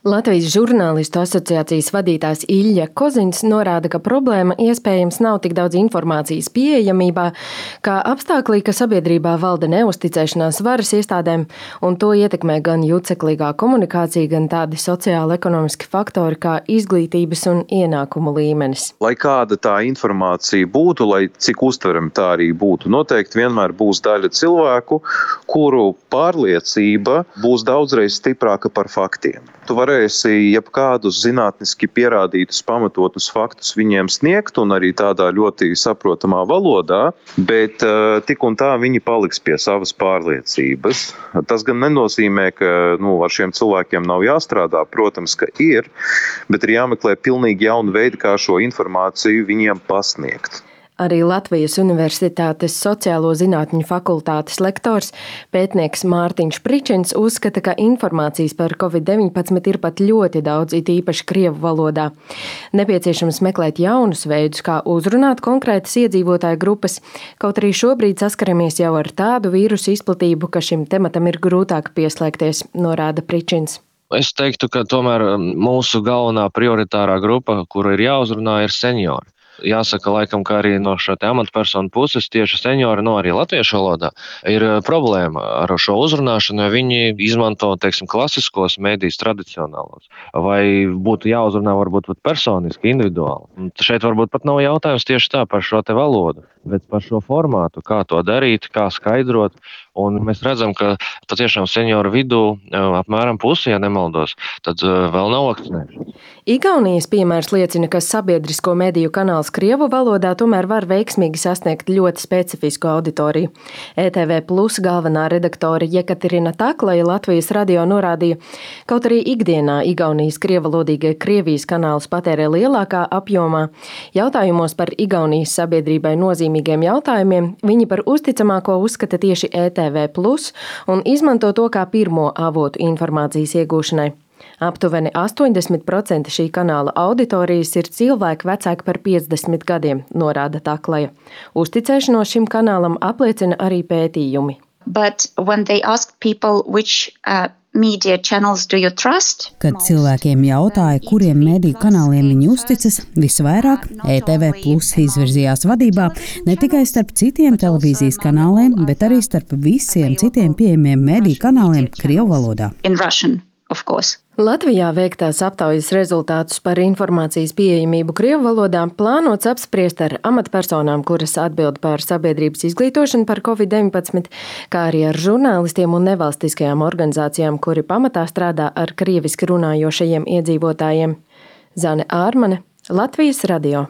Latvijas žurnālistu asociācijas vadītājs Ilja Kozins norāda, ka problēma iespējams nav tik daudz informācijas pieejamībā, kā apstāklī, ka sabiedrībā valda neusticēšanās varas iestādēm, un to ietekmē gan juceklīgā komunikācija, gan tādi sociāli-ekonomiski faktori kā izglītības un ienākumu līmenis. Lai kāda tā informācija būtu, lai cik uztverama tā arī būtu, noteikti vienmēr būs daļa cilvēku, kuru pārliecība būs daudzreiz stiprāka par faktiem. Tu varēsi jebkādus zinātniski pierādītus, pamatotus faktus viņiem sniegt un arī tādā ļoti saprotamā valodā, bet tik un tā viņi paliks pie savas pārliecības. Tas gan nenozīmē, ka ar šiem cilvēkiem nav jāstrādā, protams, ka ir, bet ir jāmeklē pilnīgi jaunu veidu, kā šo informāciju viņiem pasniegt. Arī Latvijas Universitātes sociālo zinātņu fakultātes lektors, pētnieks Mārtiņš Pričins uzskata, ka informācijas par Covid-19 ir pat ļoti daudz, it īpaši krievu valodā. Nepieciešams meklēt jaunus veidus, kā uzrunāt konkrētas iedzīvotāju grupas, kaut arī šobrīd saskaramies jau ar tādu vīrusu izplatību, ka šim tematam ir grūtāk pieslēgties, norāda Pričins. Es teiktu, ka tomēr mūsu galvenā prioritārā grupa, kura ir jāuzrunā, ir seniori. Jāsaka, laikam, ka arī no šā amatpersonu puses tieši seniori, arī latviešu valodā, ir problēma ar šo uzrunāšanu, jo viņi izmanto, klasiskos medijus tradicionālos. Vai būtu jāuzrunā varbūt personiski, individuāli. Un šeit varbūt pat nav jautājums tieši tā par šo te valodu, bet par šo formātu, kā to darīt, kā skaidrot. Un mēs redzam, ka patiešām senioru vidū apmēram pusi, ja nemaldos, tad vēl nav vakcinējušies. Igaunijas piemērs liecina, ka sabiedrisko mediju kanāls krievu valodā tomēr var veiksmīgi sasniegt ļoti specifisku auditoriju. ETV Plus galvenā redaktore Jekaterina Taklaja Latvijas radio norādīja, kaut arī ikdienā Igaunijas krievalodīgie Krievijas kanālus patērē lielākā apjomā, jautājumos par Igaunijas sabiedrībai nozīmīgiem jautājumiem viņi par uzticamāko uzskata tieši ETV Plus un izmanto to kā pirmo avotu informācijas iegūšanai. Aptuveni 80% šī kanāla auditorijas ir cilvēki vecāki par 50 gadiem, norāda Taklaja. Uzticēšanos šim kanālam apliecina arī pētījumi. Kad cilvēkiem jautāja, kuriem mediju kanāliem viņi uzticas, visvairāk ETV Plus izvirzījās vadībā ne tikai starp citiem televīzijas kanāliem, bet arī starp visiem citiem pieejamiem mediju kanāliem krievu valodā. Latvijā veiktās aptaujas rezultātus par informācijas pieejamību krievu valodā plānots apspriest ar amatpersonām, kuras atbild par sabiedrības izglītošanu par Covid-19, kā arī ar žurnālistiem un nevalstiskajām organizācijām, kuri pamatā strādā ar krieviski runājošajiem iedzīvotājiem. Zane Ārmane, Latvijas radio.